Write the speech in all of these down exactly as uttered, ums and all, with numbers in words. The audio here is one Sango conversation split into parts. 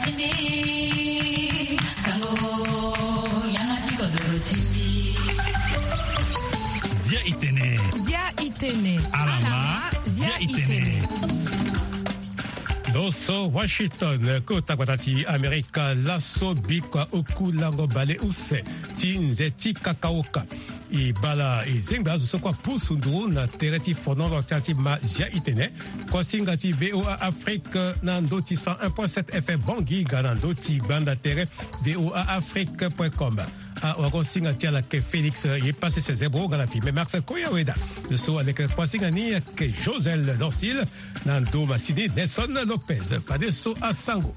Timbi, sango, yanga ti kodoro timbi. Zia i tene. Zia i tene. Alama, zia i tene. Ndo so Washington, kota gbata ti Amerika, laso bikua oku lango bale use ti nze ti kakaoka. E bala e zengbe azo so kue apusu nduru na tere ti fonono ti ma zia i tene. Kuasinga ti V O A Afrique na ndö ti cent un point sept F M Bangui, ga na ndö ti gbanda tere V O A Afrique point com. Awagosinga ti ala ayeke Félix Yepasese Zebro, ga na Filme Max Koyaweda. So aleke kuasinga ni ayeke Josel Dorcil, na ndo masini Nelson Lopez. Fadeso asango.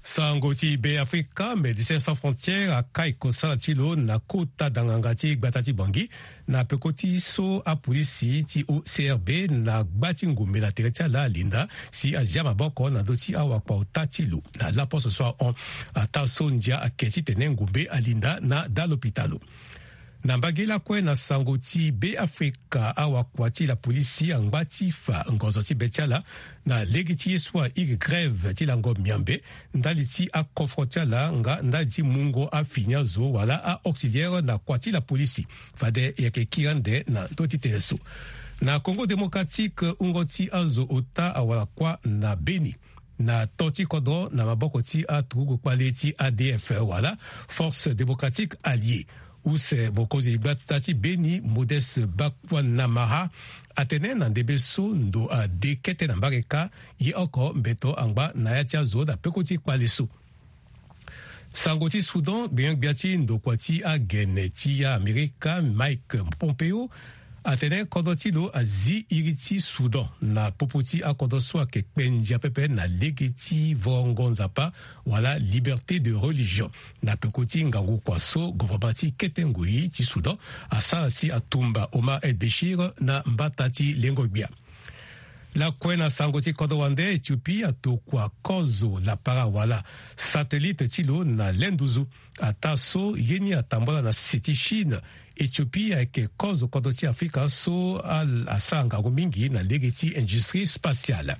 Sango ti Be Afrika, Médecins Sans Frontières akai kosala ti lo na kota danganga ti gbata ti Bangui, na peko ti so apolisi ti O C R B na gba ti ngombe na tere ti ala alinda si azia maboko na ndö ti awakpa ota ti lo na laposo so ahon, ataa so ndia ayeke titene ngombe alinda na da lopitalo. Na mbage lakue na sango ti Be Afrika, awakua ti lapolisi angba ti fa ngonzo ti be ti ala na lege ti ye so airi grève ti lango miambe ndali ti akofro ti ala nga ndali ti mungo afini azo wala a-auxiliaire na kua ti lapolisi. Fade e yeke kiri ande na ndö ti tene so. Na Congo Démocratique, wungo ti azo ota awara kuâ na Beni na to ti kodro na maboko ti aturugu kpale ti A D F wala Force Démocratique Alliée. Use mokonzi gbata ti Beni, Modeste Bakwanamaha, atene na ndembe so ndo ade kete na mbareka, ye oko mbeto angba na ya ti azo na peko ti kpale so. Sango ti Soudan, gbenyo-gbia ti ndokua ti agene ti Amerika, Mike Pompeo, atene kodro ti lo azi iri ti Soudan na popo ti akodro so ayeke kpe ndia pepe na lege ti vongo nzapa wala liberté de religion, na peko ti ngangu kua so gouvernement ti kete ngoi ti Soudan asara si atumba Omar El Béchir na mbata ti lengo-gbia. Lakue na sango ti kodro wande, Éthiopie atokua kozo lapara wala satellite ti lo na lenduzu. Ataa so ye ni atambola na se ti Chine, Éthiopie ayeke kozo kodro ti Afrika so a, asara ngangu mingi na lege ti industrie spatiale.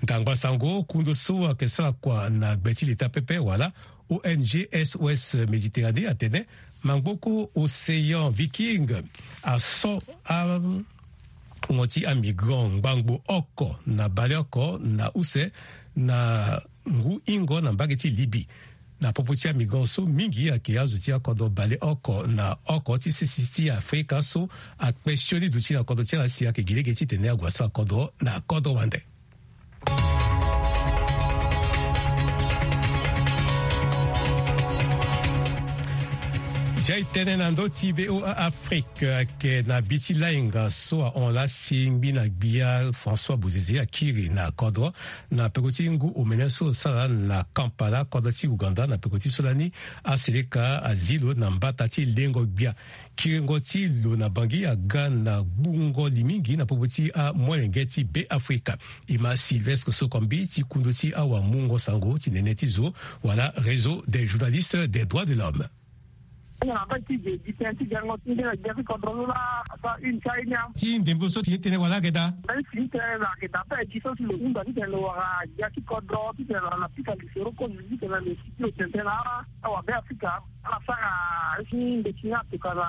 Ndangba sango, kundu so ayeke sara kua na gbe ti leta pepe wala O N G S O S Méditerranée atene mangboko Océan Viking aso a wungo ti amigrant ngbangbo oko na baleoko na use na ngu hingo na mbage ti Libye. Na popo ti amigrant so, mingi ayeke azo ti akodro baleoko na oko ti sese ti Afrika so akpe sioni duti na kodro ti ala si ayeke gi lege titene ague asara kodro na kodro wande. Zia e tene na ndö ti V O A Afrique, ayeke na bi ti lainga so ahon laa si ngbina gbia François Bozizé akiri na kodro na peko ti ngu omene so sara na Kampala, kodro ti Ouganda, na peko ti so lani aseleka azi lo na mbata ti lengo gbia. Kiringo ti lo na Bangui aga na gbungo li mingi na popo ti amolenge ti Be Afrika. E ma Sylvestre Sokombi ti kundu ti awamungo sango ti nene ti zo wala Réseau des journalistes des droits de l'homme. Nga na mbage ti Bangui tënë ti gango ti ngbene gbia ti kodro so laa asara une ti aye ni. Ti ndembo so fini tënë wala ayeke daa? Mbeni fini tënë lo ayeke daa ape gi so si lo hunda titene lo wara gbia ti kodro titene lo na pika lisoro kozo titene lo sigi lo tene tënë na ala. Awabe Afrika ala sara si ndeti ni atoka na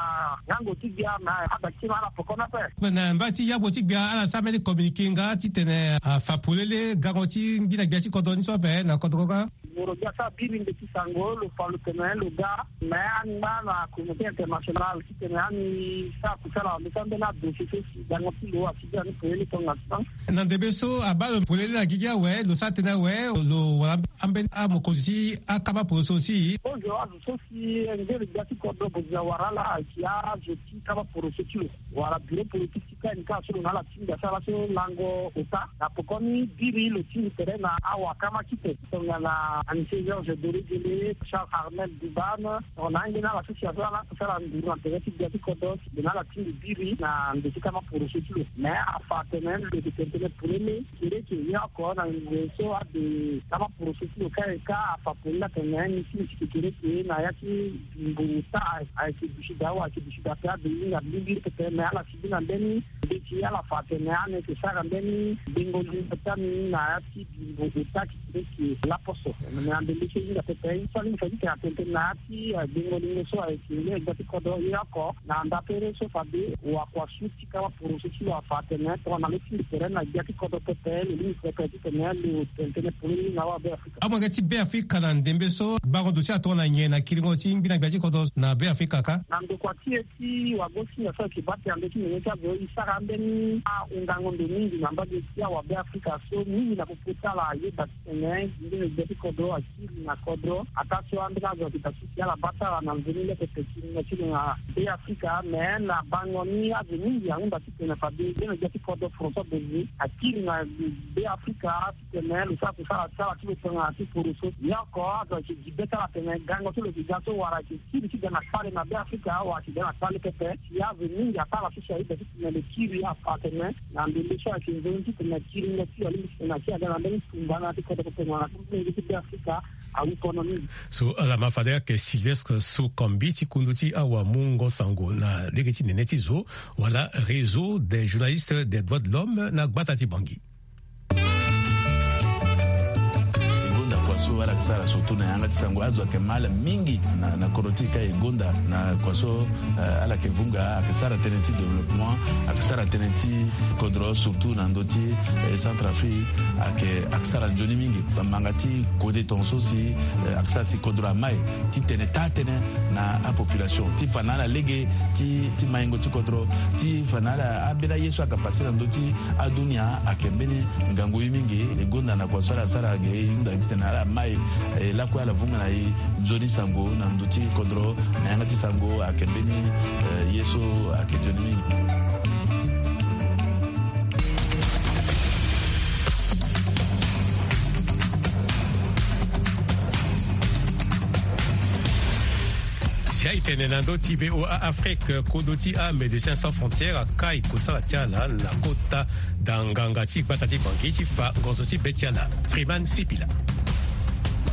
ngango ti gbia na adakiti na ala poko ni ape. Na mbage ti yambo ti gbia ala sara mbeni communiqué nga titene afa polele gango ti ngbina gbia ti kodro ni so ape na kodro kâ. Moro gbia so abiri ndeti sango lo fa lo tene lo ga me angba na communauté internationale titene ani sara kusala wande so ambeni adossier so si gango ti lo asigi ani polele tongaso. Na ndembe so abaa lo polele na gigi awe lo sara tënë awe lo wara ambeni amokonzi ti akaba poroso si. Kozo azo so si ngere gbia ti kodro Bozizé awara ala ayeke azo ti kaba poroso ti lo wala bureau politique ti K M K so lo na ala ti ngbia so ala so lango ota na poko ni biri lo ti ngi tere na awakama kite tongana Anise Georges Dolegele, Charles Armel Dubane, on a nge na la association ala kusala nduru na tere ti bia ti kodro. Mbi na ala ti mbi biri na ndo ti kama poroso ti lo. Mais afa atene lo yeke tene tënë polele. Kereke ye oko na ngoi so ade kama poroso ti lo kâ e kâ afa polele atene ni ti mbi ti kekereke na ya ti bimbo ota ayeke duti daa wa ayeke duti daa pe ade hinga mbirimbiri pepe. Mais ala si bi na mbeni mbeti ala fa atene ani yeke sara mbeni bengo lingo ti ami na ya ti bimbo ota. Leke laposo me na ndembe so e hinga pepe so alingbi fa e ti tene atene tënë na ya ti, eh, bengo lingo so ayeke ngia e gbia ti kodro ye oko na nda tere so fade wakua su ti kama poroso ti lo afa atene tongana lo ti mbi tere na gbia ti kodro pepe lo lingbi pepe ti tene lo tene tënë polele na awa Beafrika. Amolenge ti Beafrika na ndembe so bango duti atongana nyen na kiringo ti ngbi na gbia ti kodro na Beafrika kâ? Na ndokua ti e ti wagosinga so ayeke baa tena ndö ti nene ti azo e sara ambeni ahundango ndo mingi na mbage ti awa Beafrika so mingi na popo ti ala ayeda titene ngbene gbia ti kodro akiri na kodro ataa so ambeni azo ayeke daa ti si ala baa ti ala na nzoni leke peki ngingo ti lo na Beafrika. Me na bango ni azo mingi ahunda titene fade ngbene gbia ti kodro François Bozé akiri na Beafrika titene lo sara kusala ti ala ti lo tongana ti poroso. Ye oko azo ayeke gi be ti ala atene gango so lo yeke ga so wala ayeke kiri ti ga na kpale na Beafrika awa ayeke ga na kpale pepe. Si azo mingi ataa ala so si ayeda titene lo kiri afa atene na ndembe so ayeke nzoni titene akiri ngia ti lo alingbi titene akiri aga na mbeni tumba na ya ti kodro pepe na na ti mbeni ngia ti Beafrika. Awu kono mingi. So ala ma fade ayeke Sylvestre Sokombi ti kundu ti awamungo sango na lege ti nene ti zo wala Réseau des journalistes des droits de l'homme na gbata ti Bangui. E gonda kua so ala yeke sara surtout na yanga ti sango azo ayeke ma ala mingi na, na kodro ti e kâ e gonda na kua so, eh, ala yeke vunga ayeke sara tënë ti développement, ayeke sara tënë ti kodro surtout na ndö ti, eh, Centrafrique ayeke, ayeke sara nzoni mingi. Bamanga ti kode tongaso si, eh, ayeke sara si kodro amai ti tene taa tënë na apopulation ti fa na ala lege ti, ti maingo ti kodro ti fa na ala ambeni aye so ayeke pase na ndö ti adunia ayeke mbeni ngangu ye mingi. E gonda na kua so ala sara ge e hunda titene ala mai, eh, lakue ala vunga na e nzoni sango na ndö ti kodro na yanga ti sango ayeke mbeni, eh, ye so ayeke nzoni mingi. Si aye tene na ndö ti V O A Afrique, kodro ti aMédecins Sans Frontières akai kosala ti ala na kota danganga ti gbata ti Bangui ti fa ngonzo ti be ti ala. Freeman Sipila.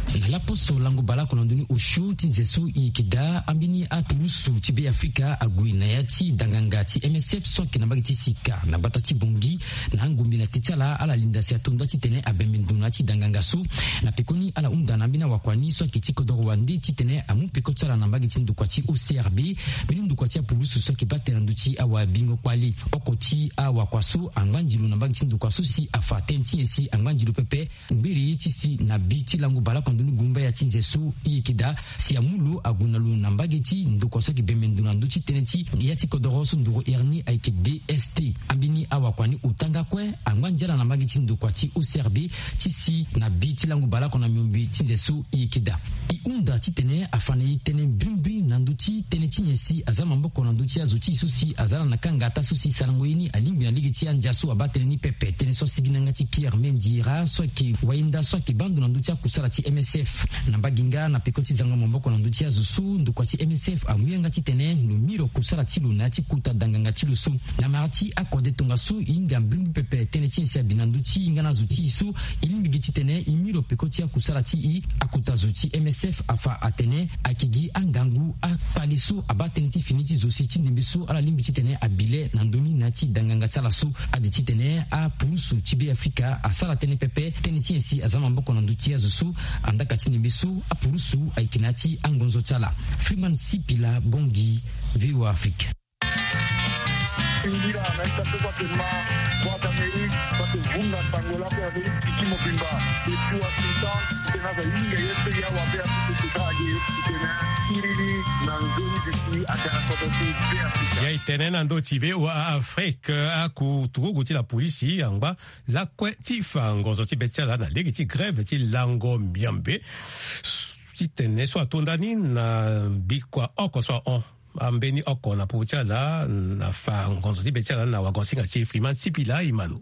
Na laposo lango baleoko na ndoni osio ti nze so e yeke daa, ambeni apurusu ti Beafrika ague na ya ti danganga ti M S F so ayeke na mbage ti sika na gbata ti Bangui. Na angombe na te ti ala, ala linda si ato nda titene abembe ndo na ya ti danganga so. Na pekoni ala hunda na ambeni awakua ni so ayeke ti kodoro wande titene amu peko ti ala na mbage ti ndokua ti O C R B. Mbeni ndokua ti apurusu so ayeke baa tënë na ndö ti awabingo kpale. Oko ti awakua so angba nzi lo na mbage ti ndokua so si afa tënë ti nyen si angba nzi lo pepe. Ngbere ye ti si na bi ti lango baleoko na ndoni gumbaya ti nze so e yeke daa si amu lo ague na lo na mbage ti ndokua so ayeke bembe ndo na ndö ti tënë ti ya ti kodoro so nduru ere ni ayeke D S T. Ambeni awakua ni ota nga kue angba nzi ala na mbage ti ndokua ti O C R B ti si na bi ti lango baleoko na miombe ti nze so e yeke daa. E hunda titene afa na e tënë mbrimbri na ndö ti tënë ti nyen si aza maboko na ndö ti azo ti e so si aza ala na kanga ataa so si sarango ye ni alingbi na lege ti andia so abaa tënë ni pepe. Tënë so asigi na yanga ti Pierre Mendiera so ayeke wayenda so ayeke baa ndo na ndö ti akusala ti M S F. Na mbage nga na peko ti zango maboko na ndö ti azo so ndokua ti M S F amu yanga titene lo miro kusala ti lo na ya ti kota danganga ti lo so. Na mara ti akode tongaso e hinga mbrimbri pepe tënë ti nyen si abi na ndö ti e nga na azo ti e so e lingbi gi titene e miro peko ti akusala ti e. Akota zo ti M S F afa atene ayeke gi angangu akpale so abaa tënë ti fini ti zo si ti ndembe so ala lingbi titene abi le na ndö ni na ya ti danganga ti ala so. Ade titene apurusu ti Beafrika asara tënë pepe tënë ti nyen si aza maboko na ndö ti azo so. Andaka ti ndembe so apurusu ayeke na ya ti angonzo ti ala. Freeman Sipila, Bangui, V O A Afrique. Ngira na ita so bate ma Voix d'Amérique bate vunga sango lako ya beri piki mobimba. Depuis Washington, tena za yinga ye so ya wa Beafrika ti ta age tena kiriri na nzoni bisi ata na kodo ti Beafrika. Ya e tene na ndö ti V O A Afrique, akuturugu ti la polisi angba lakue ti fa ngonzo ti be ti ala na lege ti grève ti lango miombe. Titene so ato nda ni na bikua oko so ahon. Ambeni oko na popo ti ala na fa ngonzo ti be ti ala na wagosinga ti Freeman Sipila Imano.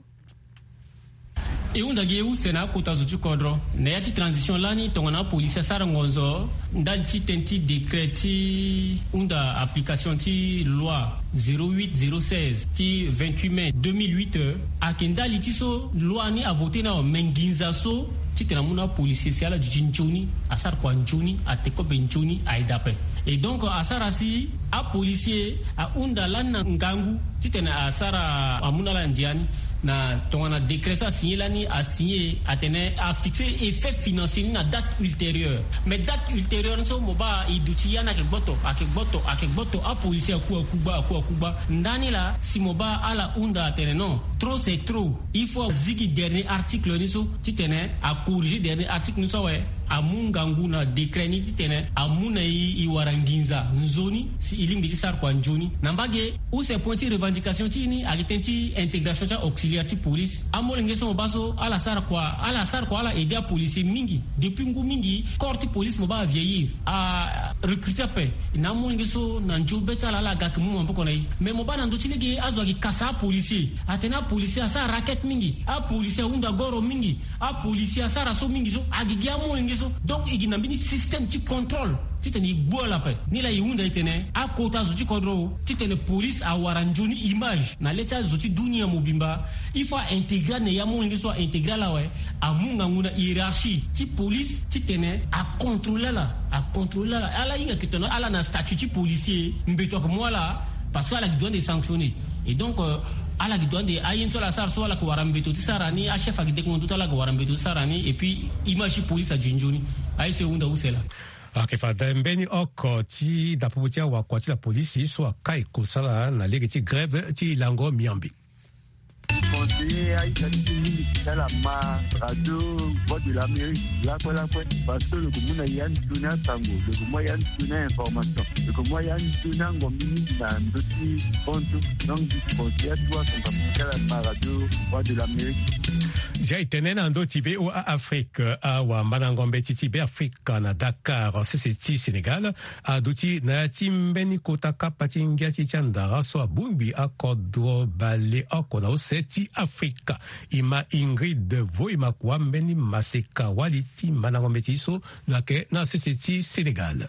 E hunda gi e use na akota zo ti kodro na ya ti transition lani tongana apolisi asara ngonzo ndali ti tënë ti décret ti hunda application ti loi zéro huit zéro seize ti vingt-huit mai deux mille huit. Ayeke ndali ti so loi ni avoté ni awe, me nginza so titene amu na apolisi si ala duti nzoni, asara kua nzoni, ate kobe nzoni, aye daa ape. Et donc asara si apolisi ahunda lani na ngangu titene asara amu na ala ndia ni. Na tongana décret so asigné lani, asigné atene afixé effet financier ni na date ultérieure. Mais date ultérieure ni so mo baa e duti ya ni ayeke gboto, ayeke gboto, ayeke gboto, apolisi aku aku gba, aku aku gba. Ndani laa si mo baa ala hunda atene non, trop c'est trop, il faut azigi dernier article ni so titene acorriger dernier article ni so awe, amu ngangu na décret ni titene amu na e, e wara nginza nzoni si e lingbi ti sara kua nzoni. Na mbage use point ti revendication ti e ni ayeke tënë ti intégration ti auxiliaire ti police. Amolenge so mo baa so ala sara kua, ala sara kua, ala aider apolisier mingi. Depuis ngu mingi corps ti police mo baa avieillir, arecruter ape. Na amolenge so na nzio be ti ala, ala ga ayeke mu maboko na e. Mais mo baa na ndö ti lege azo ayeke kasa apolisier, atene apolisier asara raquette mingi, apolisier ahunda goro mingi, apolisier asara so mingi so, agi gi amolenge so. Donc e gi na mbeni système ti contrôle titene e gbu ala ape. Nilaa e hunda e tene akota zo ti kodro titene police awara nzoni image na le ti azo ti dunia mobimba. Il faut a intégrer ane ya amolenge so, a intégrer ala awe, amu ngangu na hiérarchie ti police titene acontrôler ala, acontrôler ala. Ala hinga ke tongana ala na statut ti policier, mbeto ayeke mu ala, parce que ala gi droit de sanctionner. Et donc euh, ala gi droit de, aye ni so ala sara so, ala yeke wara mbeto ti sara ni, achef ayeke dekongo ndutu, ala yeke wara mbeto ti sara ni, et puis image ti police aduti nzoni. Aye so e hunda use laa. Ayeke fade mbeni oko ti dapopo ti awakua ti la polisi so akai kosala na lege ti grève ti lango miombe. Conseiller aita ti mingi ti ala ma radio Voix de l'Amérique lakue lakue, parce que lo yeke mu na ya nzoni asango, lo yeke mu ya nzoni a-information, lo yeke mu ya nzoni angombi mingi na ndö ti bantu. Donc conseiller atuwa son papa ti ala ma radio Voix de l'Amérique. Zia e tene na ndö ti V O A Afrique, awamandango mbeti ti Beafrika na Dakar, sese ti Sénégal, aduti na ya ti mbeni kota kapa ti ngia ti ti andara so abongbi akodro baleoko na use ti Afrika. E ma Ingrid Voi Makua mbeni maseka wali ti mandango mbeti so lo yeke na sese ti Sénégal.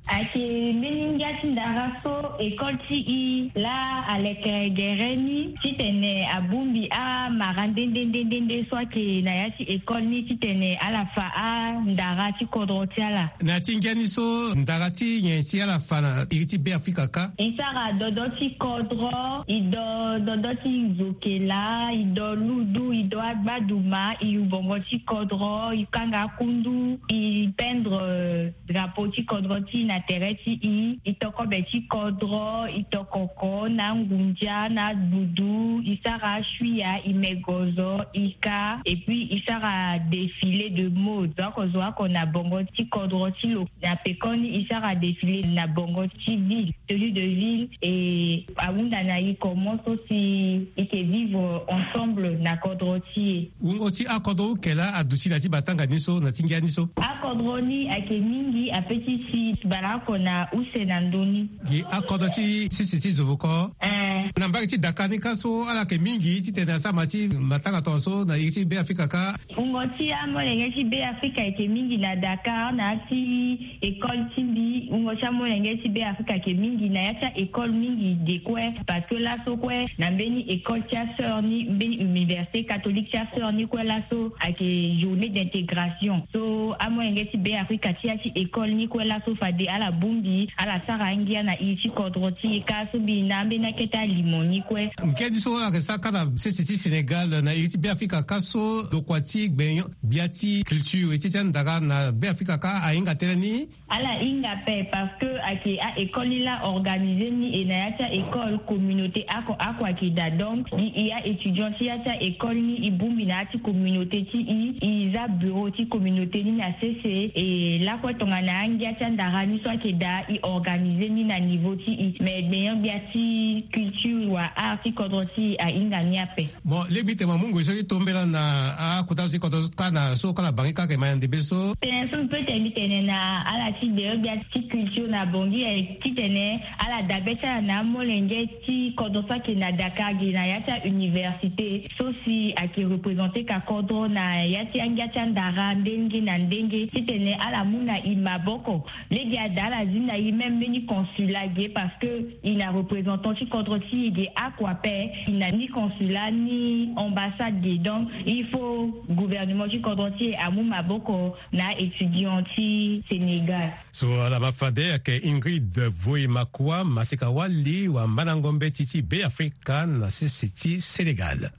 Ayeke mbeni ngia ti ndara so école ti e laa aleke gere ni titene abongbi amara nde nde nde nde nde so ayeke na ya ti école ni titene ala fa andara ti kodro ti ala. Na ya ti ngia ni so ndara ti nyen si ala fa na iri ti Beafrika kâ? E sara dodo ti kodro, e do dodo ti zokela, e do ludu, e do agbaduma, e yu bongo ti kodro, e kanga akundu, e peindre drapeau ti kodro ti e na tere ti e, e to kobe ti kodro, e to koko na angunza na agbudu, e sara asuia, e me gozo, e kâ, et puis e sara défilé de mode. Zo oko zo oko na bongo ti kodro ti lo. Na pekoni e sara défilé na bongo ti ville, tenue de ville, et ahunda na e comment so si e yeke vivre ensemble na kodro ti e. Wungo ti akodro uke laa aduti na ti batanga ni so, na ti ngia ni so? Akodro ni ayeke mingi ape ti si baleoko na use na ndö ni. Gi akodro ti sese ti zovoko? Eh. Na mbage ti Dakar ni kâ so ala yeke mingi titene asara ma ti matanga tongaso na iri ti Beafrika kâ? Wungo ti amolenge ti Beafrika ayeke mingi na Dakar, na ya ti école ti mbi, wungo ti amolenge ti Beafrika ayeke mingi na ya ti a-école mingi ge kue, parce que laso kue na mbeni école ti asœur ni, mbeni université catholique ti asœur ni kue, laso ayeke journée d'intégration. So amolenge ti Beafrika ti ya ti école ni kue laso fade ala bongbi, ala sara angia na iri ti kodro ti e kâ so mbi na ambeni akete alimo ni kue. Ngia ni so ala yeke sara kâ na sese ti Sénégal, na iri ti Beafrika kâ so, lokua ti gbenyo gbia ti culture ti ti andara na Beafrika kâ ahinga tënë ni? Ala hinga ape, parce que ayeke a-école ni laa organisé ni, e na ya ti a-école communauté oko oko ayeke daa. Donc gi e a-étudiant ti ya ti a-école ni, e bongbi na ya ti communauté ti e, e za bureau ti communauté ni na sese. E lakue tongana angia ti andara ni so ayeke daa, e organisé ni na niveau ti e. Mais gbenyo gbia ti culture Wa art ti kodro ti ahinga ni ape. Bon, lege mbi tene mo mu ngoi so ti tombela na akota so ti kodro kâ na so kâ na bangi kâ ayeke ma na ndembe so. Tene so mbi pe tene mbi tene na ala ti deyo gbia ti culture na bongi ayeke titene ala dabe ti ala na amolenge ti kodro so ayeke na Dakar gi na ya ti auniversité so si ayeke représenter ka kodro na ya ti angia ti andara ndenge na ndenge titene ala mu na e maboko. Lege ada ala zi na e même mbeni consulat ge parce que e na représentant ti kodro ti e ge oko ape. E na ni consulat ni ambassade ge, donc il faut gouvernement ti kodro ti e amu maboko na étudiant ti Sénégal. So ala ma fade ayeke Ingrid Voimakwa Masekawali, wambanango mbeti ti Beafrika na sese ti Sénégal.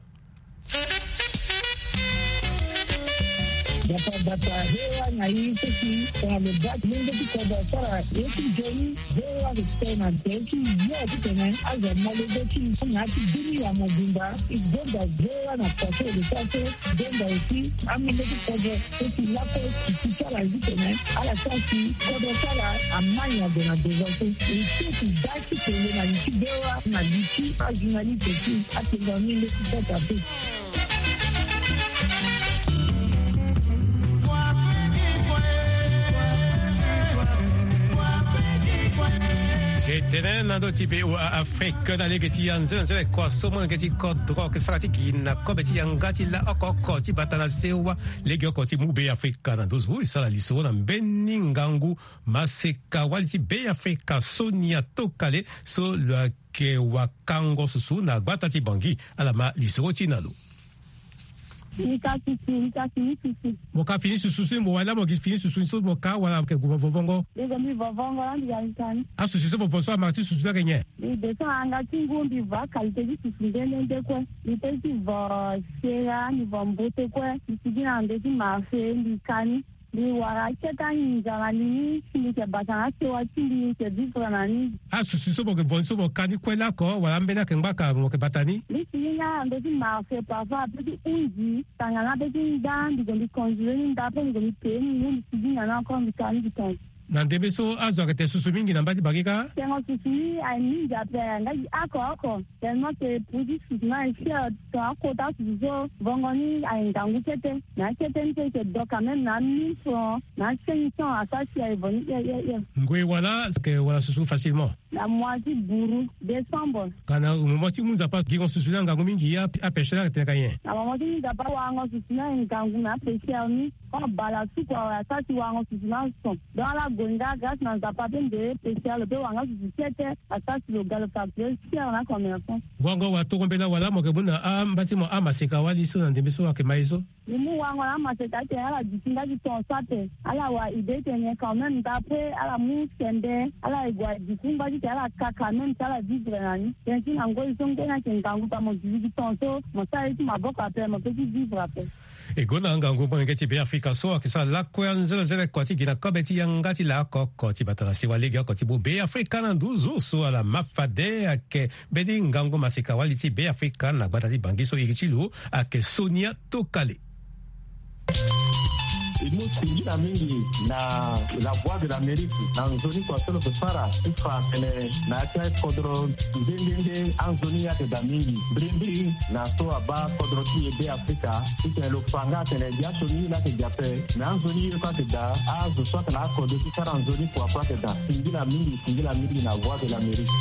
Bata bata hewa na ye so si tongana lo baa ti lenge ti kodro asara ye ti nzoni. Hewa respect na nze ti yo titene azo amolenge ti na ya ti bini ya mobimba. E gonda hewa na pase de sa so gonda aussi amolenge ti kodro so si lakue ti ti ti ala titene ala sara si kodro ti ala amai na gue na devant so. E so ti baa ti kele na li ti bewa na li ti ajournaliste ti atenga ni nde ti sota pe. Tene na ndö ti V O A Afrique na lege ti ya nzene nzene kua so molenge ti kodro ayeke sara ti gi na kobe ti yanga ti la oko oko ti bata na sewa. Lege oko ti mu Beafrika na ndö zo e sara lisoro na mbeni ngangu maseka wali ti Beafrika Sonia Tokale so lo yeke wakango susu na gbata ti Bangui. Ala ma lisoro ti e na lo. Ni ka susu, ni ka fini susu. Mo ka fini susu so mo wali laa mo gi fini susu ni so mo ka wala mo yeke gue mo vovongo? Mbi gue mbi vovongo laa mbi ga mbi ka ni. Asusu so mo vo so ama ti susu ni ayeke nyen? Mbi de so na yanga ti ngu mbi vo akalité ti susu nde nde nde kue. Mbi pe ti vo sera, mbi vo mbote kue. Mbi sigi na ndö ti marché mbi ka ni. Mbi wara akete anginza na li ni si mbi yeke bata na asewa ti mbi, mbi yeke vivre na ni. Asusu so mo yeke vo ni so mo ka ni kue lako wala ambeni ayeke ngbaka mo yeke bata ni? Mbi sigi nga na ndö ti marché parfois ape ti hunzi tangana ape ti nda mbi gue mbi konzile ni nda ape mbi gue mbi pee ni ngu mbi sigi nga na oko mbi ka ni mbi tonga. Na ndembe so azo ayeke tene susu mingi na mba ti Bangui kâ? Tengo susu ni aye mingi ape nga gi oko oko. Tellement que prix ti susu ni aye cher, tongana akota susu so vongo ni aye ngangu kete. Na akete ni so e yeke do quand même na mille francs na cinq cents asara si aye vo ni hie hie hie. Ngoi wala ayeke wara susu facilement? Na mois ti buru, décembre. Ka na moment ti mu Nzapa gingo susu ni angangu mingi, apêcheur ni ayeke tene ka nyen? Na moment ti mu Nzapa warango susu ni aye ngangu na apêcheur ni. Quand bala suku awe asara si warango susu ni ason. Donc ala gue nga grâce na Nzapa pe nde pêcheur lo pe wara nga susu kete. Asara si lo ga lo facturer cher na commerçant. Wango wala toro mbela wala mo yeke mu na amba ti mo amaseka wali so na ndembe so ayeke ma ye so? Mbi mu wango na amaseka atene ala duti nga ti ton so ape. Ala wara idée tene quand même d'après ala mu sembe ala ye gue aduti ngba ti tene ala ka quand même si ala vivre na ni. Tene ti na ngoi so ngbeni ayeke ngangu pa mo duti ti ton so mo sara ye ti maboko ape mo pe ti vivre ape. E gonda ngangu molenge ti Beafrika so ayeke sara lakue anzenenzene kua ti gi na kobe ti yanga ti la oko oko ti bata na sewa lege oko ti mu Beafrika na nduzu so ala ma fade ayeke mbeni ngangu maseka wali ti Beafrika na gbata ti Bangui so iri ti lo ayeke Sonia Tokale. E mu singila mingi na La Voix de l'Amérique na nzoni kua so lo yeke sara ti fa tene na ya ti akodro nde nde nde anzoni ni ayeke daa mingi. Mbrimbri na so abaa kodro ti e Beafrika titene lo fa nga atene biasioni ye laa ayeke daa ape. Me anzoni ye kue ayeke daa, azo so ayeke na akodro ti sara nzoni kua kue ayeke daa. Singila mingi, singila mingi na Voix de l'Amérique.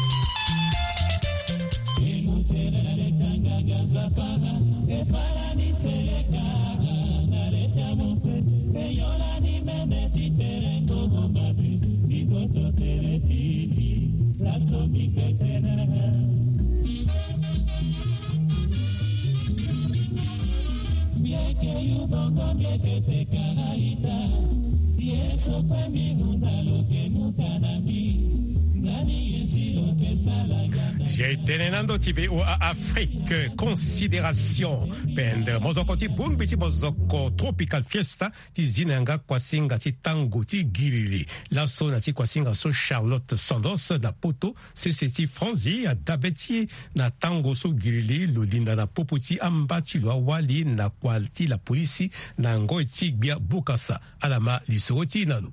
Ye tene na ndo ti V O A Afrique, considération. Pendre mozoko ti bongbi ti mozoko Tropical Fiesta ti zi na yanga kuasinga ti tango ti gilili. Laso na ti kuasinga so Charlotte Sandos na poto sese ti Franzi adabe ti e na tango so gilili lo linda na popo ti amba ti lo awali na kua ti lapolisi na ngoi ti gbia bukasa. Ala ma lisoro ti e na lo.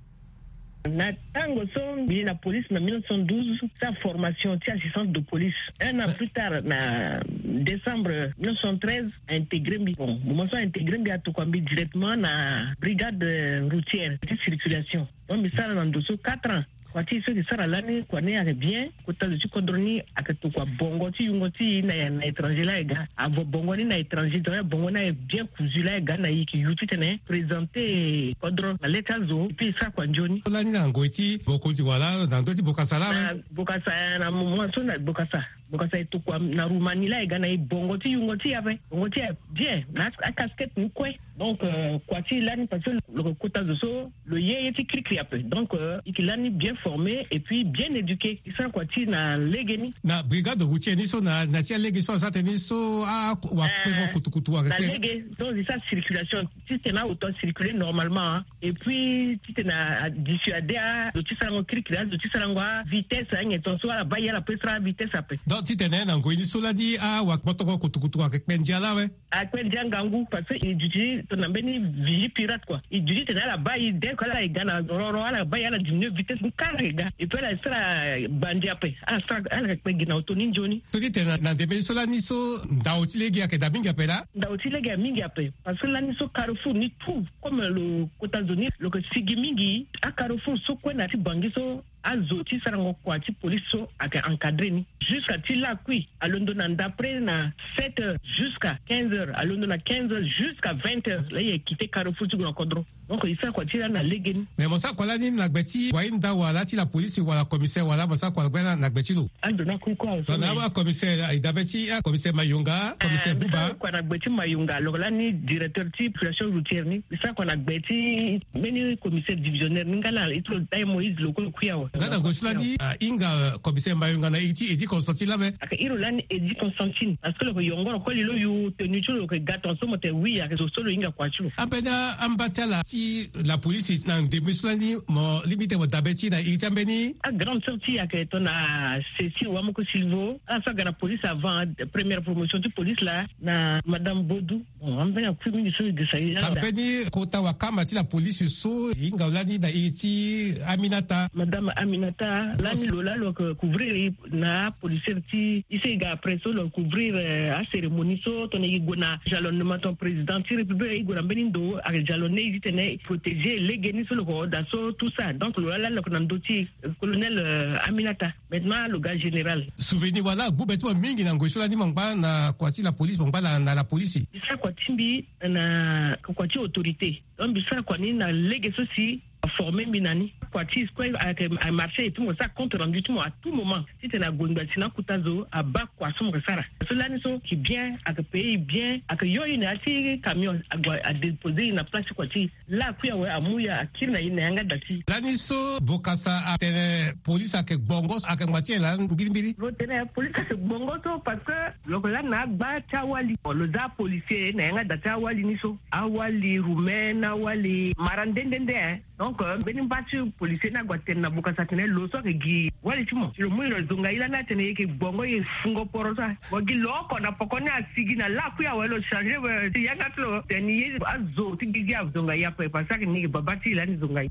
Na tango so mbi na police na mille neuf cent douze, sa formation ti assistance de police. Un an plus tard, na décembre mille neuf cent treize, a intégré mbi. Bon, moment so a intégré mbi, a tokua mbi directement na brigade, euh, routière ti circulation. Donc mbi sara na ndo so quatre ans. Kua ti so mbi sara lani, kua ni ayeke bien. Kota zo ti kodro ni ayeke tokua bongo ti yungo ti e na, na étranger la e ga. Avo bongo ni na étranger, donc bongo ni aye bien cousu la e ga na e, e ke yu titene présenter kodro na le ti azo, et puis e sara kua nzoni. Lani na ngoi ti mokonzi wala na ndö ti bokasa la, na bokasa, na moment so na bokasa. Bokasa e tokua na Roumanie la e ga na e bongo ti yungo ti e ape. Bongo ti e aye bien, na a casquette ni kue. Donc, euh, kua ti lani, parce que lo ke kota zo so lo ye ye ti kirikiri ape. Donc, euh, e ke lani bien formé et puis bien éduqué. E sara kua ti na lege ni. Na brigade routière ni so na, na ti alege so asara tënë ni so, a, wakpengo kutukutu ayeke kpe. Na lege, donc e sara circulation titene auto acirculer normalement, hein. Et puis titene adissuader azo ti sarango kirikiri, azo ti sarango avitesse, anyen tongaso ala baa e ala pe sara avitesse ape. Donc titene na ngoi ni so lani, a, wakpotongo kutukutu ayeke kpe ndia la awe. Akpe ndia ngangu, parce que e duti tongana mbeni vigie pirate, quoi. E duti titene ala baa e, dès que ala e ga na roro, ala baa e, ala diminuer vitesse ni kara e ga. Et puis ala sara bandi ape. Ala sara, ala kpe gi na auto ni nzoni. So titene na ndembe ni so lani so ndao ti lege ayeke daa mingi ape laa? Ndao ti lege aye mingi ape. Parce que lani so carrefour ni tout, comme lo kota zo ni lo ke sigi mingi, acarrefour so kue na ya ti Bangui so, azo ti sarango kua ti police so ayeke encadrer ni. Jusqu'à ti lakui, alondo na ndapre na sept heures jusqu'à quinze heures, alondo na quinze heures jusqu'à vingt heures, la e quitter carrefour ti gue na kodro. Donc e sara kua ti lani na lege ni. Mais mo sara kua lani na gbe ti wayinda wala ti la police wala commissaire wala mo sara kua na gbe, na gbe ti lo? Ando na kue kue awe. Tongana abaa commissaire, e dabe ti, ah, commissaire Mayunga, commissaire Buba. Kua na gbe ti Mayunga, lo lani directeur ti population routière ni. E sara kua na gbe ti mbeni commissaire divisionnaire ni nga laa, e ti lo dai Moïse lo kue lo kui awe. Nga na ngoi so lani, ah, e hinga, euh, commissaire Mayunga na iri ti Eddy Constantine la ape? Ayeke iri lo lani Eddy Constantine. Parce que lo yeke yongoro koli lo yu tenue ti lo, lo yeke ga tongaso mo tene oui, ayeke zo so lo hinga kua ti lo. Ambeni amba ti ala ti la police na ndembe so lani mo lingbi titene mo dabe ti e na iri ti ambeni? Agrande sœur ti e ayeke tongana Cécile Wamoko Silvo. Ala so aga na police avant, première promotion ti police laa, na madame Bodou. Bon, ambeni akui mingi so e gesa e laa. Ambeni kota wakamba ti la police so e hinga lani na iri ti Aminata? Madame Aminata, lani lo laa lo yeke couvrir e na apolicière ti e so e ga après so lo couvrir, euh, acérémonie so tongana e gue na jalonnement tongana président ti république, e gue na mbeni ndo, ayeke jalonné e titene e protéger lege ni so lo yeke hoo daa so, tout ça. Donc lo laa lani lo yeke na ndö ti e, colonel, euh, Aminata. Maintenant lo ga général. Souvenir wala agbu be ti mo mingi na ngoi so lani mo ngba na kua ti la police, mo ngba na, na la police? Mbi sara kua ti mbi na kua ti autorité. Donc mbi sara kua ni na lege so si aformer mbi na ni. Kua ti e so kue ayeke amarcher et puis mo sara compte rendu ti mo à tout moment. Titene ague ngbia si na akota zo abaa kua so mo yeke sara. So lani so ayeke bien, ayeke payer e bien, ayeke yo e na ya ti camion, ague adéposer e na place ti kua ti e. Lakui awe amu e akiri na e na yanga da ti e. Lani so bokasa atene police ayeke gbongo, ayeke ngba ti e laa mbirimbiri? Lo tene police ayeke gbongo so parce que lo yeke lani na agba ti awali. Bon, lo za policier na yanga da ti awali ni so. Awali roumain, awali mara nde nde nde, hein. Donc, euh, mbeni mba ti policier ni ague atene na bokasa atene lo so ayeke gi wali ti mo. Lo mu e lo zonga e lani atene e yeke gbongo, e fungo poro so. Mo gi lo oko na poko ni asigi na lakui awe lo changer, euh, ti yanga ti lo. Tene e ye azo ti gigi azonga e ape, parce que ni e yeke baba ti e lani zonga e.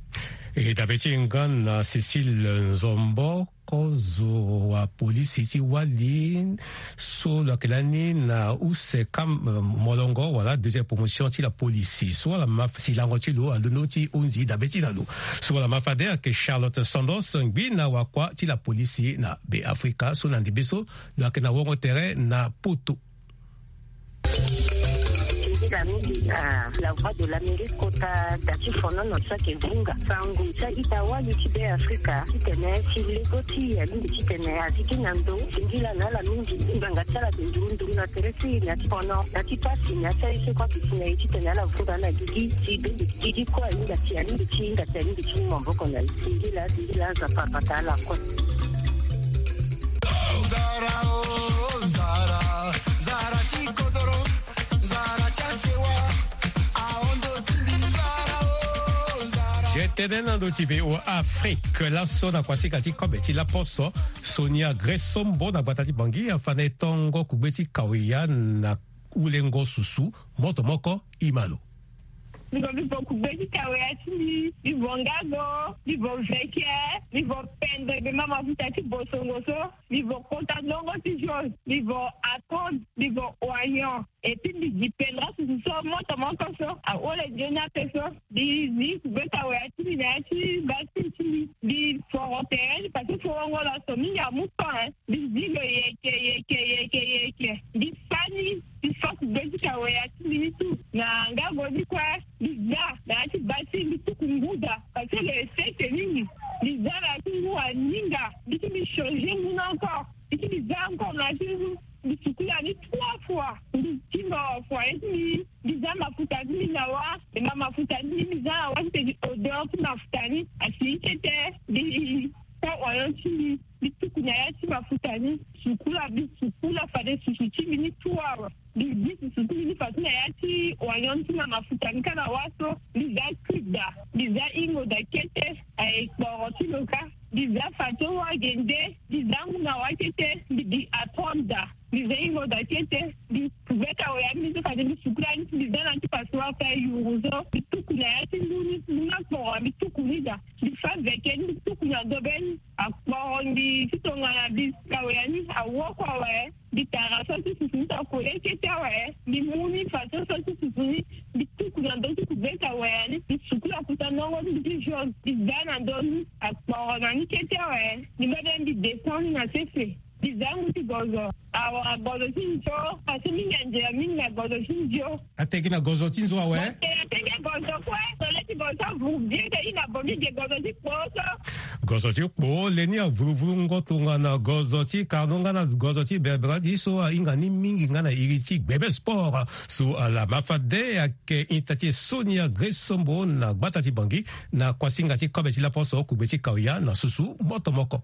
E dabe ti e nga na Cécile Nzombo, kozo wa polisi ti wali so lo yeke lani na use kam, euh, molongo wala deuxième promotion ti la polisi. So ala ma silango ti lo alondo ti hunzi dabe ti na lo. So ala ma fade ayeke Charlotte Sandos, ngbi na wakua ti la polisi na Beafrika, so na ndembe so lo yeke na wongo tere na Poto. Singila mingi na La Voix de l'Amérique kota da ti fonono so ayeke vunga sango ti a-ita wali ti Beafrika titene si lego ti e alingbi titene azi gi na ndo. Singila na ala mingi. Ngbanga ti ala ayeke nduru nduru na tere ti e na ya ti fono, na ya ti pasi, na ya ti aye so kue ayeke si na e titene ala vunga na gigi ti bende gigi kue ahinga ti e, alingbi ti hinga ti e, alingbi ti mu maboko na e. Singila, singila, Nzapa abata ala kue. Je tene na ndo ti V O A Afrique, laso na kuasika ti kobe ti laposo, Sonia Gresombo na gbata ti Bangui afa na e tongo kugbe ti kawia na ulengo susu, moto moko ima lo. Mbi vo, mbi vo kugbe ti kaweya ti mbi. Mbi vo ngago. Mbi vo veke. Mbi vo pendre be mama futa ti bosongo so. Mbi vo kota ndongo ti jose. Mbi vo atonde. Mbi vo oignon. Et puis mbi gi pendra susu so moto moko so ahole nzoni ape so. Mbi zi kugbe kaweya ti mbi na ya ti basi ti mbi. Mbi foro tere ni parce que forongo laso mingi amu temps, hein. Mbi zi lo yeke yeke yeke yeke. Mbi fa ni. Mbi fa kugbe ti kaweya ti mbi ni tu na ngago ni kue. Mbi za na ya ti basi mbi tuku nguda parce que le sese mingi. Mbi za na ya ti ngu aninga. Mbi ti mbi changer ngu ni encore. Mbi ti mbi za encore na ya ti ngu. Mbi sukula ni trois fois. Mbi ti mbi fua ye ti mbi. Mbi za mafuta ti mbi na wa. Mbi ma mafuta ti mbi, mbi za na wa ti tene odeur ti mafuta ni asi kete. Mbi sa oignon ti mbi. Mbi tuku na ya ti mafuta ni. Sukula, mbi sukula fade susu ti mbi ni trois. Mbi gi susu ti mbi ni faso na ya ti oignon ti mbi na mafuta ni kâ na wa so. Mbi za cube da. Mbi za ingo da kete. Aye kporo ti lo kâ. Mbi za fato wa gende. Mbi za ngu na wa kete. Mbi gi atonde da. Mbi za ingo da kete. Mbi kubeta oya mbi so fade mbi sukula ni. Mbi za na ti passoire ti ayuru so. Mbi tuku na ya ti ngu ni. Ngu na kporo mbi tuku ni da. Mbi fa veke ni. Mbi tuku na dobe ni. Akporo mbi ti tongana mbi kaweya ni awoko awe. Mbi tara so ti susu ni ta kole kete awe. Mbi mu ni faso so ti susu ni. Mbi tuku na ndo ti kubeta waya ni. Mbi sukula kuta ndongo ti mbi ti jose. Mbi za na ndo ni. Akporo na ni kete awe. Mbi mbebe mbi descend ni na sese. Mbi za ngu ti gozo. Awa gozo ti nzo. Parce que mingi anzela mingi na gozo ti nzo. Ateke na gozo ti nzo awe. Ateke gozo kue. Tole ti gozo vuru bien te i na bo mbi ge gozo ti kpo so. Gozo ti kpo le ni avuluvulu ngo tongana gozo ti karno nga na gozo ti bebradi so ahinga ni mingi nga na iri ti gbebe sport. So ala ma fade ayeke ita ti e Sonia Gresombo na gbata ti Bangui na kuasinga ti kobe ti laposo kugbe ti kaoya na susu moto moko.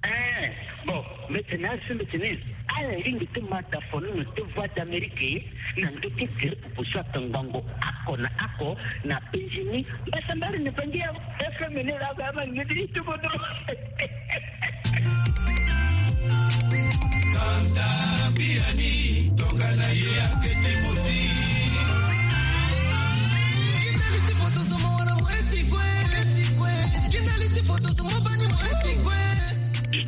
Eh, bon, mbi tene asi mbi tene ala lingbi ti ma da fono na deux voix d'Amérique na ndo ti gere pupu so atongbango ako na ako na penzi ni. Mbasa mbari ni pangi ya F M ni la ba ma ngidi ti bodo. Kanta biani tongana ye akete mosi. Kindali ti foto so mo wana mo eti kue, eti kue. Kindali ti foto so mo bani mo eti kue.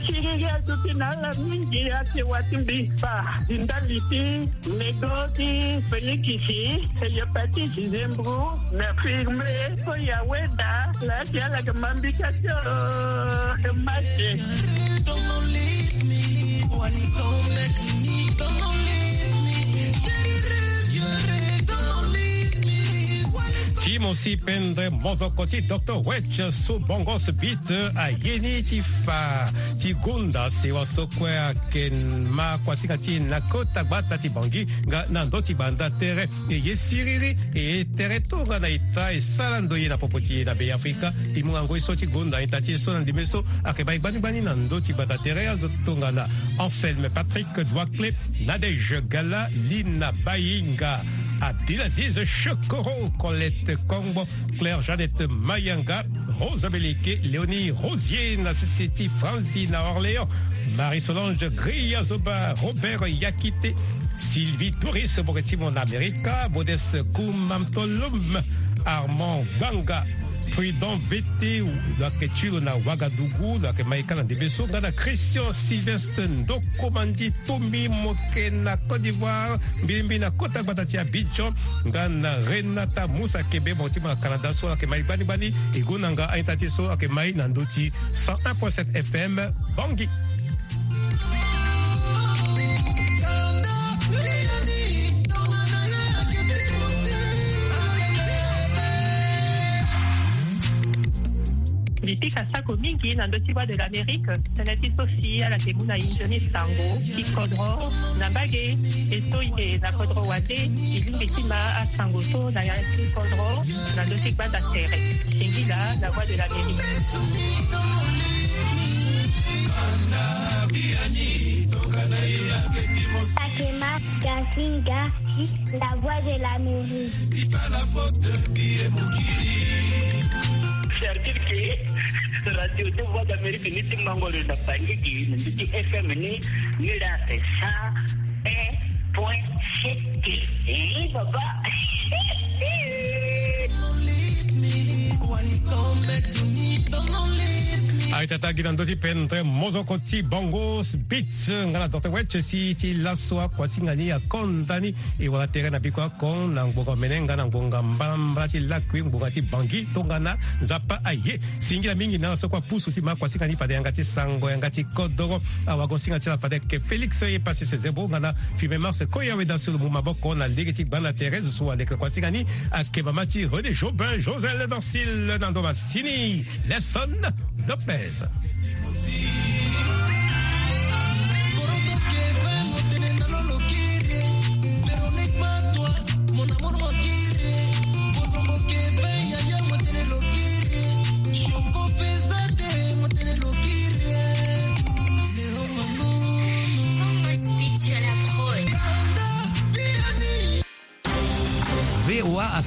Siriri aduti na ala mingi ate wati mbi fa di ndali ti medo ti Felikisi, hepatite zembro na firme so ya weda la ti ala ke mambika ti oro ke mate. Ti mo si pendre mozoko ti Docteur Wetch so bongos bit aye ni ti fa ti gonda sewa so kue ayeke ma kuasinga ti e na kota gbata ti Bangui nga na ndö ti gbanda tere. E ye siriri e ye tere tongana e ta e sara ndoye na popo ti e na Beafrika. E mu ngoi so ti gonda ita ti e so na ndembe so ayeke bai gbani gbani na ndö ti gbanda tere azo tongana Anselme Patrick Douaclé, Nadège Gala, Lina Bayinga, Abdelaziz Shekoro, Colette Kongbo, Claire Jeannette Mayanga, Rosa Beleke, Léonie Rosier na sese ti Franzi na Orléans, Marie Solange Griya Zoba, Robert Yakite, Sylvie Doris, Boketimo na Amerika, Modeste Koumamtolom, Armand Gbanga, Prudent Vete, lo yeke ti lo na Ouagadougou, lo yeke mai ka na ndembe so nga na Christian Sylvestre Ndokomandi Tombi Moke na Côte d'Ivoire, mbilimbi na kota gbata ti Abidjan, nga na Renata Moussa Kebe, mo ti mo na Canada so ayeke mai gbani gbani. E gonda nga a-ita ti e so ayeke mai na ndö ti cent un point sept F M Bangui. Mbi pika sako mingi na ndö ti Voix de l'Amérique, tënë ti so si ala yeke mu na e nzoni sango ti kodro na mbage. E so e yeke na kodro wande, e lingbi ti ma asango so na ya ti kodro na ndö ti gbanda tere. Singila na Voix de l'Amérique. Sakema Gasinga, la Voix de l'Amérique. C'est-à-dire que Radio deux Voix d'Amérique ni ti mango lo na Bangui, ni ti F M ni, ni la c'est cent un point sept. Eh, papa. Aita tagi na ndö ti pendre mozoko ti Bango Beats nga na Docteur Wetch si ti laso akuasinga ni akonda ni e wara tere na biko ako na ngbonga mene nga na ngbonga mbalambala ti lakui ngbonga ti Bangi tongana Nzapa aye. Singila mingi na ala so kue apusu ti ma akuasinga ni fade yanga ti sango yanga ti kodoro. Awagosinga ti ala fade ayeke Félix ye pasi sezebo nga na Firme Mars Koya weda so lo mu maboko na lege ti gbanda tere zo so aleke akuasinga ni ayeke mama ti René Jobin Josel Dancil na ndo masini. Lesson Lopez.